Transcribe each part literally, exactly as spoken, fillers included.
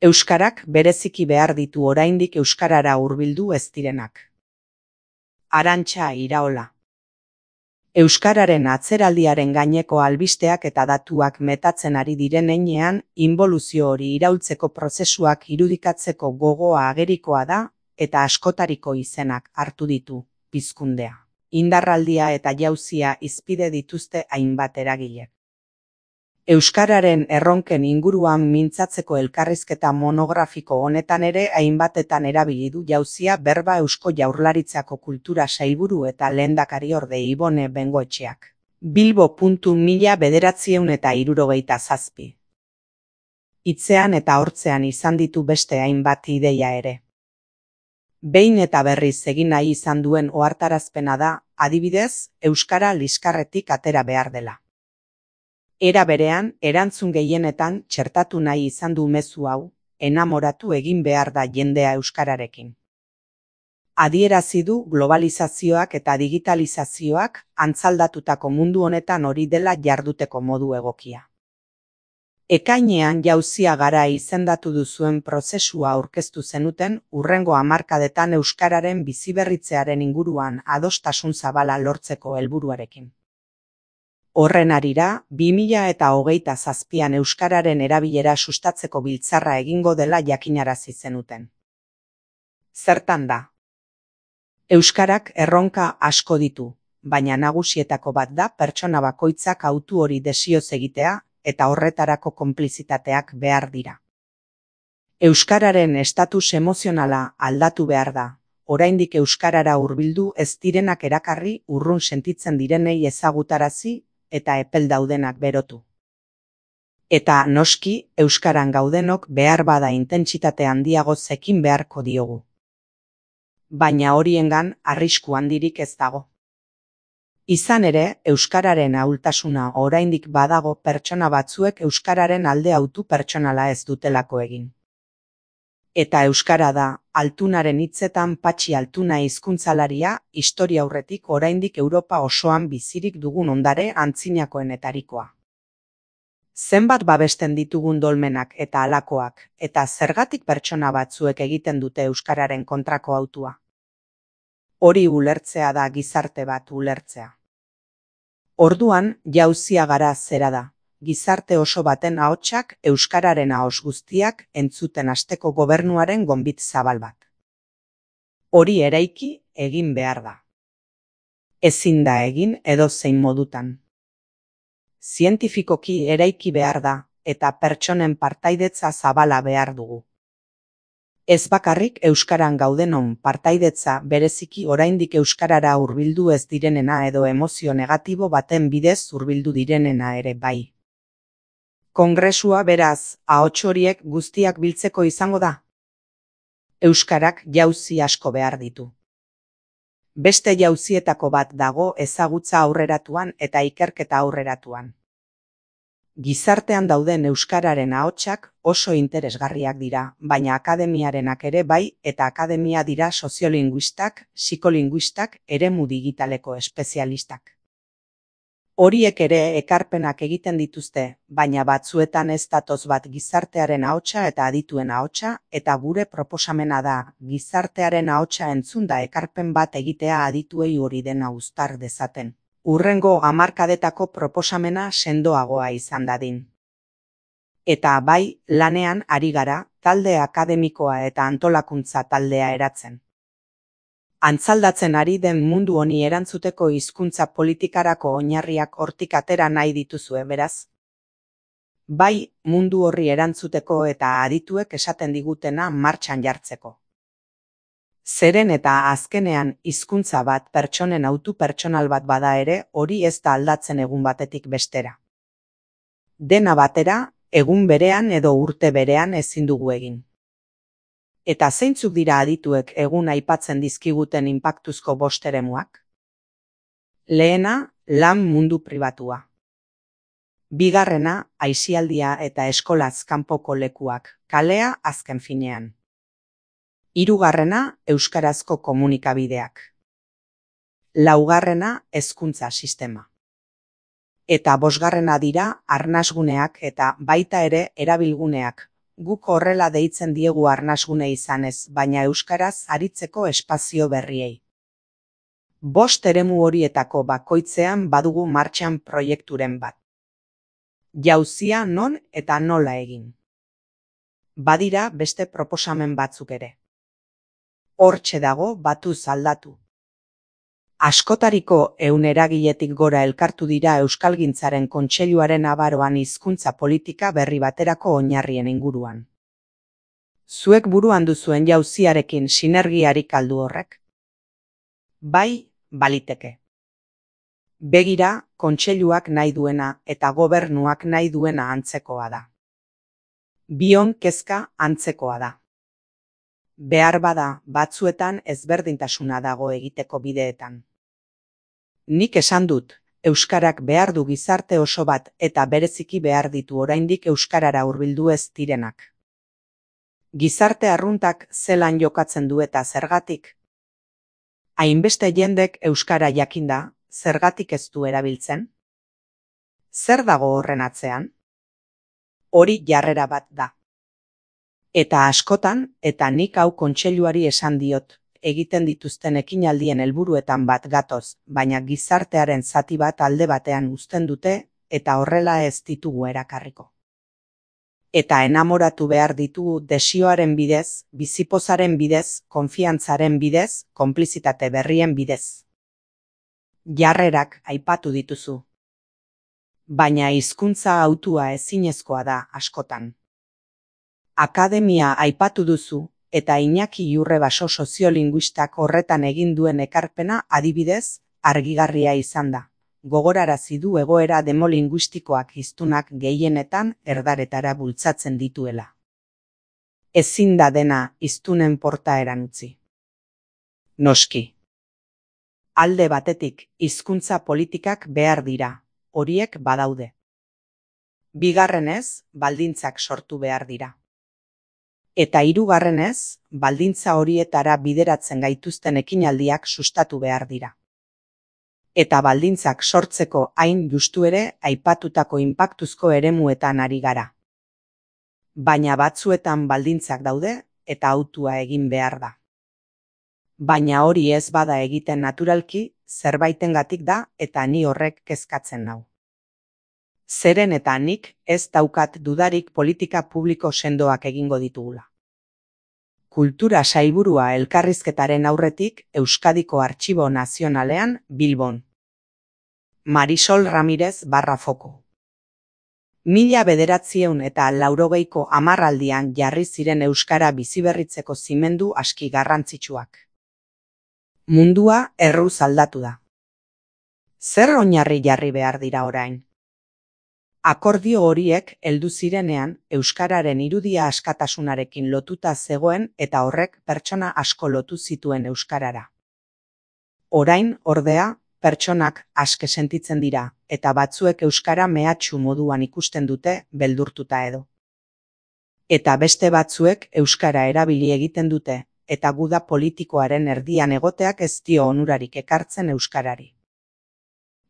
Euskarak bereziki behar ditu oraindik euskarara hurbildu ez direnak. Arantxa Iraola. Euskararen atzeraldiaren gaineko albisteak eta datuak metatzen ari diren heinean, inboluzio hori iraultzeko prozesuak irudikatzeko gogoa agerikoa da eta askotariko izenak hartu ditu, pizkundea, indarraldia eta jauzia hizpide dituzte hainbat eragilek. Euskararen erronken inguruan mintzatzeko elkarrizketa monografiko honetan ere hainbatetan erabili du jauzia berba Eusko Jaurlaritzako Kultura Sailburu eta Lehendakariorde Ibone Bengoetxeak. Bilbo mila bederatziehun eta hirurogeita zazpi. Hitzean eta hortzean izan ditu beste hainbat ideia ere. Behin eta berriz egin nahi izan duen ohartarazpena da, adibidez, euskara liskarretik atera behar dela. Era berean, erantzun gehienetan txertatu nahi izan du mezu hau, enamoratu egin behar da jendea euskararekin. Adierazi du globalizazioak eta digitalizazioak antzaldatutako mundu honetan hori dela jarduteko modu egokia. Ekainean jauzia gara izendatu duzuen prozesua aurkeztu zenuten hurrengo hamarkadetan euskararen biziberritzearen inguruan adostasun zabala lortzeko helburuarekin. Horren harira, bi mila eta hogeita zazpian euskararen erabilera sustatzeko biltzarra egingo dela jakinarazi zenuten. Zertan da? Euskarak erronka asko ditu, baina nagusietako bat da pertsona bakoitzak hautu hori desioz egitea eta horretarako konplizitateak behar dira. Euskararen estatus emozionala aldatu behar da, oraindik euskarara hurbildu ez direnak erakarri urrun sentitzen direnei ezagutarazi eta epel daudenak berotu. Eta noski, euskaran gaudenok behar bada intentsitate handiago zekin beharko diogu. Baina horiengan arrisku handirik ez dago. Izan ere, euskararen ahultasuna oraindik badago pertsona batzuek euskararen alde hautu pertsonala ez dutelako egin. Eta euskara da, Altunaren hitzetan Patxi Altuna hizkuntzalaria, historia aurretik oraindik Europa osoan bizirik dugun ondare antzinakoenetarikoa. Zenbat babesten ditugun dolmenak eta halakoak, eta zergatik pertsona batzuek egiten dute euskararen kontrako hautua. Hori ulertzea da gizarte bat ulertzea. Orduan, jauzia gara zera da. Gizarte oso baten ahotsak euskararen ahots guztiak entzuten hasteko gobernuaren gonbit zabal bat. Hori eraiki egin behar da. Ezin da egin edozein modutan. Zientifikoki eraiki behar da eta pertsonen partaidetza zabala behar dugu. Ez bakarrik euskaran gaudenon partaidetza bereziki oraindik euskarara hurbildu ez direnena edo emozio negatibo baten bidez hurbildu direnena ere bai. Kongresua beraz, ahots horiek guztiak biltzeko izango da. Euskarak jauzi asko behar ditu. Beste jauzietako bat dago ezagutza aurreratuan eta ikerketa aurreratuan. Gizartean dauden euskararen ahotsak oso interesgarriak dira, baina akademiarenak ere bai eta akademia dira soziolinguistak, psikolinguistak, eremu digitaleko espezialistak. Horiek ere ekarpenak egiten dituzte, baina batzuetan ez datoz bat gizartearen ahotsa eta adituen ahotsa, eta gure proposamena da, gizartearen ahotsa entzunda ekarpen bat egitea adituei hori dena uztar dezaten. Hurrengo hamarkadetako proposamena sendoagoa izan dadin. Eta bai, lanean ari gara, talde akademikoa eta antolakuntza taldea eratzen. Antzaldatzen ari den mundu honi erantzuteko hizkuntza politikarako oinarriak hortik atera nahi dituzue beraz. Bai, mundu horri erantzuteko eta adituek esaten digutena martxan jartzeko. Zeren eta azkenean hizkuntza bat pertsonen hautu pertsonal bat bada ere, hori ez da aldatzen egun batetik bestera. Dena batera, egun berean edo urte berean ezin dugu egin. Eta zeintzuk dira adituek egun aipatzen dizkiguten inpaktuzko bost eremuak? Lehena, lan mundu pribatua. Bigarrena, aisialdia eta eskolaz kanpoko lekuak, kalea azken finean. Hirugarrena, euskarazko komunikabideak. Laugarrena, hezkuntza sistema. Eta bosgarrena dira arnasguneak eta baita ere erabilguneak, Guk horrela deitzen diegu arnasgune izanez, baina euskaraz aritzeko espazio berriei. Bost eremu horietako bakoitzean badugu martxan proiekturen bat. Jauzia non eta nola egin. Badira beste proposamen batzuk ere. Hortxe dago batuz aldatu. Askotariko ehun eragiletik gora elkartu dira Euskalgintzaren Kontseiluaren abaroan hizkuntza politika berri baterako oinarrien inguruan. Zuek buruan duzuen jauziarekin sinergiarik aldu horrek? Bai, baliteke. Begira, kontseiluak nahi duena eta gobernuak nahi duena antzekoa da. Bion kezka antzekoa da. Behar bada, batzuetan ezberdintasuna dago egiteko bideetan. Nik esan dut, euskarak behar du gizarte oso bat eta bereziki behar ditu oraindik euskarara hurbildu ez direnak. Gizarte arruntak zelan jokatzen du eta zergatik? Hainbeste jendek euskara jakinda, zergatik ez du erabiltzen? Zer dago horren atzean? Hori jarrera bat da. Eta askotan, eta nik hau kontseiluari esan diot, egiten dituzten ekinaldien helburuetan bat gatoz, baina gizartearen zati bat alde batean uzten dute, eta horrela ez ditugu erakarriko. Eta enamoratu behar ditugu desioaren bidez, bizipozaren bidez, konfiantzaren bidez, konplizitate berrien bidez. Jarrerak aipatu dituzu. Baina hizkuntza hautua ezinezkoa da askotan. Akademia aipatu duzu, eta Iñaki Iurrebaso soziolinguistak horretan egin duen ekarpena adibidez, argigarria izan da. Gogorarazi du egoera demolinguistikoak hiztunak gehienetan erdaretara bultzatzen dituela. Ezin da dena hiztunen portaeran utzi. Noski. Alde batetik, hizkuntza politikak behar dira, horiek badaude. Bigarrenez, baldintzak sortu behar dira. Eta hirugarrenez, baldintza horietara bideratzen gaituzten ekinaldiak sustatu behar dira. Eta baldintzak sortzeko hain justu ere aipatutako inpaktuzko eremuetan ari gara. Baina batzuetan baldintzak daude eta hautua egin behar da. Baina hori ez bada egiten naturalki, zerbaitengatik da eta ni horrek kezkatzen nau. Zeren eta nik ez daukat dudarik politika publiko sendoak egingo ditugula. Kultura sailburua elkarrizketaren aurretik Euskadiko Artxibo Nazionalean Bilbon. Marisol Ramirez barra foko. Mila bederatziehun eta laurogeiko hamarraldian jarri ziren euskara biziberritzeko zimendu aski garrantzitsuak. Mundua erruz aldatu da. Zer oinarri jarri behar dira orain? Akordio horiek heldu zirenean euskararen irudia askatasunarekin lotuta zegoen eta horrek pertsona asko lotu zituen euskarara. Orain, ordea, pertsonak aske sentitzen dira eta batzuek euskara mehatxu moduan ikusten dute beldurtuta edo. Eta beste batzuek euskara erabili egiten dute eta guda politikoaren erdian egoteak ez dio onurarik ekartzen euskarari.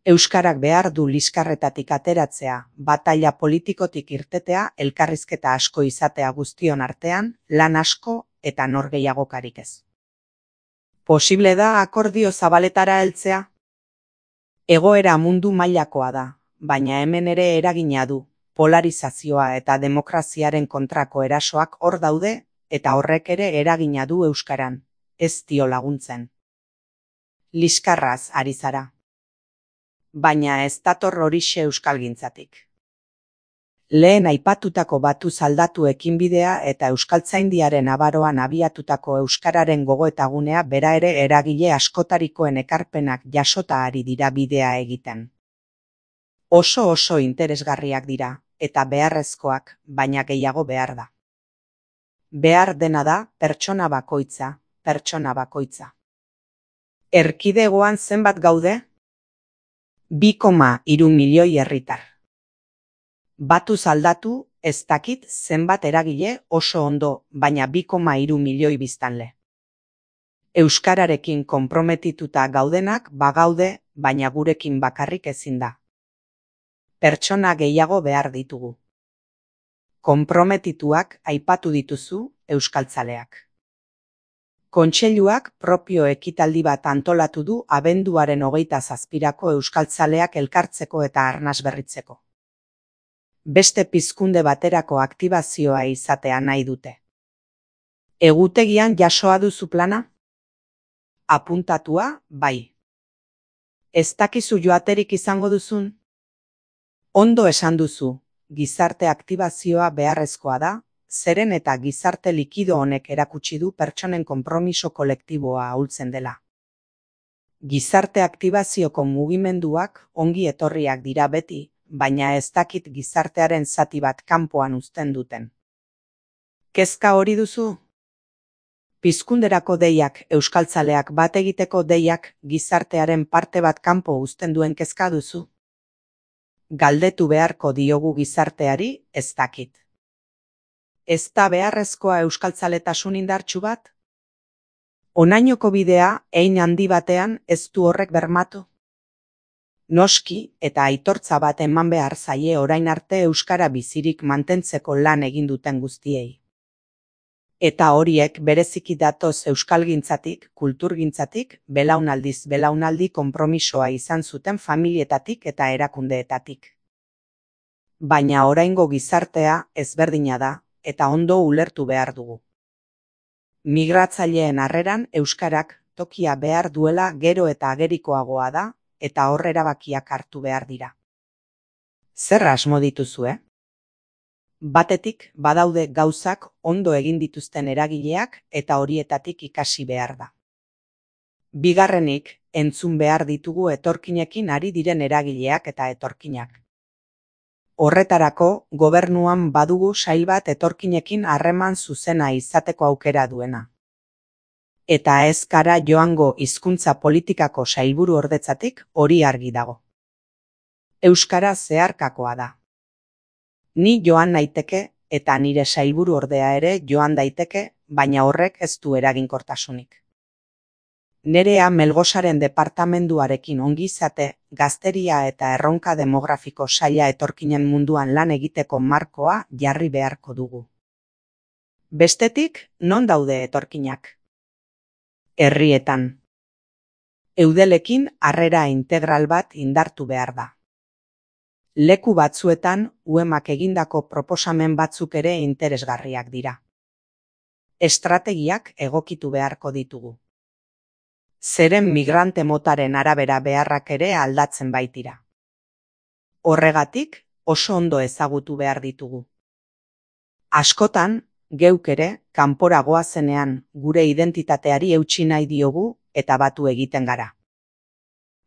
Euskarak behar du liskarretatik ateratzea, bataila politikotik irtetea, elkarrizketa asko izatea guztion artean, lan asko eta norgehiagokarik ez. Posible da akordio zabaletara heltzea? Egoera mundu mailakoa da, baina hemen ere eragina du, polarizazioa eta demokraziaren kontrako erasoak hor daude, eta horrek ere eragina du euskaran, ez dio laguntzen. Liskarraz ari zara. Baina ez dator horixe euskalgintzatik. Lehen aipatutako batuz aldatu ekinbidea eta euskaltzaindiaren abaroan abiatutako euskararen gogoetagunea bera ere eragile askotarikoen ekarpenak jasota ari dira bidea egiten. Oso oso interesgarriak dira, eta beharrezkoak, baina gehiago behar da. Behar dena da pertsona bakoitza, pertsona bakoitza. Erkidegoan zenbat gaude? bi koma hiru milioi herritar. Batuz aldatu, ez dakit zenbat eragile oso ondo, baina bi koma hiru milioi biztanle. Euskararekin konprometituta gaudenak bagaude, baina gurekin bakarrik ezin da. Pertsona gehiago behar ditugu. Konprometituak aipatu dituzu euskaltzaleak. Kontseiluak propio ekitaldi bat antolatu du abenduaren hogeita zazpirako euskaltzaleak elkartzeko eta arnas berritzeko. Beste pizkunde baterako aktibazioa izatea nahi dute. Egutegian jasoa duzu plana? Apuntatua, bai. Ez dakizu joaterik izango duzun? Ondo esan duzu, gizarte aktibazioa beharrezkoa da, zeren eta gizarte likido honek erakutsi du pertsonen konpromiso kolektiboa ahultzen dela. Gizarte aktibazioko mugimenduak ongi etorriak dira beti, baina ez dakit gizartearen zati bat kanpoan uzten duten. Kezka hori duzu? Pizkunderako deiak, euskaltzaleak bat egiteko deiak, gizartearen parte bat kanpo uzten duen kezka duzu? Galdetu beharko diogu gizarteari, ez dakit. Ez da beharrezkoa euskaltzaletasun indartsu bat? Honainoko bidea, hein handi batean, ez du horrek bermatu? Noski, eta aitortza bat eman behar zaie orain arte euskara bizirik mantentzeko lan egin duten guztiei. Eta horiek bereziki datoz euskalgintzatik, kulturgintzatik, belaunaldiz belaunaldi konpromisoa izan zuten familietatik eta erakundeetatik. Baina oraingo gizartea ezberdina da, eta ondo ulertu behar dugu. Migratzaileen harreran euskarak tokia behar duela gero eta agerikoagoa da, eta hor erabakiak hartu behar dira. Zer asmo dituzue? Batetik badaude gauzak ondo egin dituzten eragileak eta horietatik ikasi behar da. Bigarrenik, entzun behar ditugu etorkinekin ari diren eragileak eta etorkinak. Horretarako, gobernuan badugu sail bat etorkinekin harreman zuzena izateko aukera duena. Eta ez gara joango hizkuntza politikako sailburu ordetzatik hori argi dago. Euskara zeharkakoa da. Ni joan naiteke eta nire sailburu ordea ere joan daiteke, baina horrek ez du eraginkortasunik. Nerea Melgosaren departamenduarekin ongizate, gazteria eta erronka demografiko saila etorkinen munduan lan egiteko markoa jarri beharko dugu. Bestetik, non daude etorkinak? Herrietan. Eudelekin harrera integral bat indartu behar da. Leku batzuetan, uemak egindako proposamen batzuk ere interesgarriak dira. Estrategiak egokitu beharko ditugu. Zeren migrante motaren arabera beharrak ere aldatzen baitira. Horregatik, oso ondo ezagutu behar ditugu. Askotan, geuk ere, kanpora goazenean gure identitateari eutsi nahi diogu eta batu egiten gara.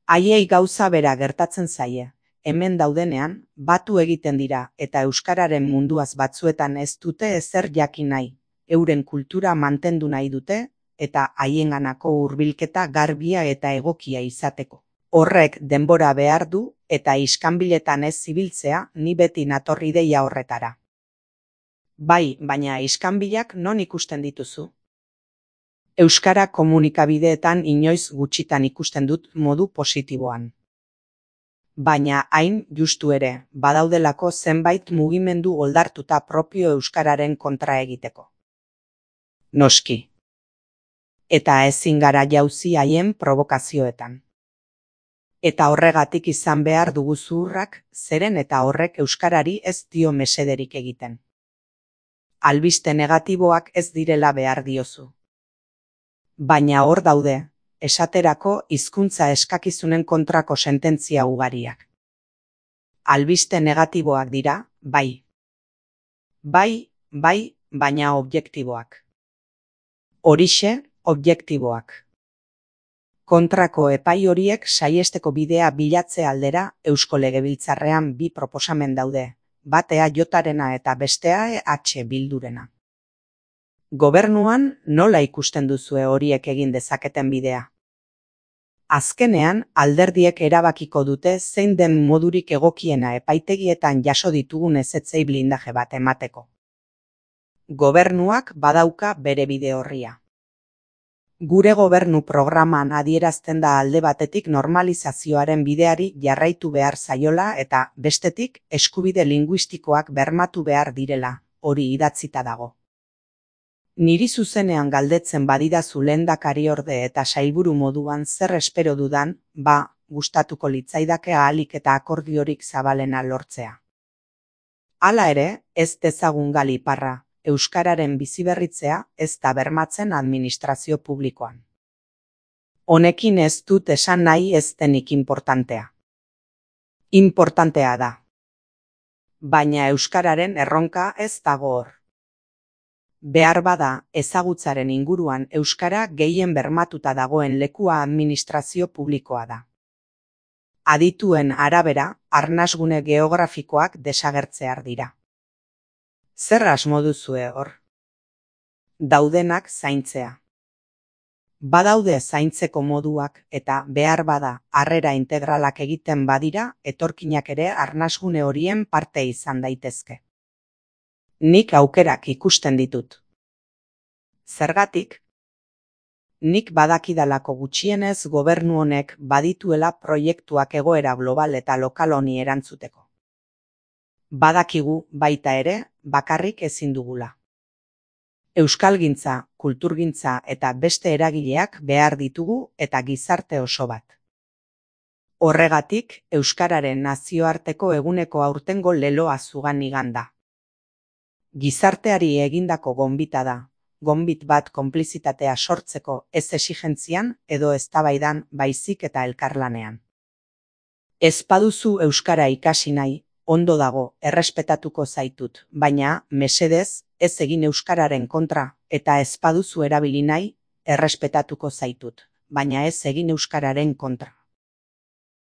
Haiei gauza bera gertatzen zaie, hemen daudenean, batu egiten dira eta euskararen munduaz batzuetan ez dute ezer jakin nahi, euren kultura mantendu nahi dute, eta haienganako hurbilketa garbia eta egokia izateko. Horrek denbora behar du eta iskanbiletan ez zibiltzea ni beti natorri deia horretara. Bai, baina iskanbilak non ikusten dituzu? Euskara komunikabideetan inoiz gutxitan ikusten dut modu positiboan. Baina hain justu ere, badaudelako zenbait mugimendu oldartuta propio euskararen kontra egiteko. Noski. Eta ezin gara jauzi haien provokazioetan. Eta horregatik izan behar dugu zuhurrak, zeren eta horrek euskarari ez dio mesederik egiten. Albiste negatiboak ez direla behar diozu. Baina hor daude, esaterako hizkuntza eskakizunen kontrako sententzia ugariak. Albiste negatiboak dira, bai. Bai, bai, baina objektiboak. Horixe, objektiboak. Kontrako epai horiek saiesteko bidea bilatze aldera Eusko Legebiltzarrean bi proposamen daude, bat E A J-arena eta bestea E H Bildurena. Gobernuan nola ikusten duzue horiek egin dezaketen bidea? Azkenean, alderdiek erabakiko dute zein den modurik egokiena epaitegietan jaso ditugun ezetzei blindaje bat emateko. Gobernuak badauka bere bide orria. Gure gobernu programan adierazten da alde batetik normalizazioaren bideari jarraitu behar zaiola eta bestetik eskubide linguistikoak bermatu behar direla, hori idatzita dago. Niri zuzenean galdetzen badidazu lehendakariorde eta sailburu moduan zer espero dudan, ba, gustatuko litzaidake ahalik eta akordiorik zabalena lortzea. Hala ere, ez dezagun gal iparra, euskararen biziberritzea ez da bermatzen administrazio publikoan. Honekin ez dut esan nahi ez denik inportantea. Inportantea da. Baina euskararen erronka ez dago hor. Behar bada, ezagutzaren inguruan euskara gehien bermatuta dagoen lekua administrazio publikoa da. Adituen arabera, arnasgune geografikoak desagertzear dira. Zer asmo duzue hor? Daudenak zaintzea. Badaude zaintzeko moduak eta behar bada harrera integralak egiten badira, etorkinak ere arnasgune horien parte izan daitezke. Nik aukerak ikusten ditut. Zergatik? Nik badakidalako gutxienez gobernu honek badituela proiektuak egoera global eta lokal honi erantzuteko. Badakigu baita ere bakarrik ezin dugula. Euskalgintza, kulturgintza eta beste eragileak behar ditugu eta gizarte oso bat. Horregatik, euskararen nazioarteko eguneko aurtengo leloa zugan iganda. Gizarteari egindako gonbita da, gonbit bat konplizitatea sortzeko ez exigentzian edo eztabaidan baizik eta elkarlanean. Ez baduzu euskara ikasi nahi, ondo dago, errespetatuko zaitut, baina, mesedez, ez egin euskararen kontra, eta ez baduzu erabili nahi, errespetatuko zaitut, baina ez egin euskararen kontra.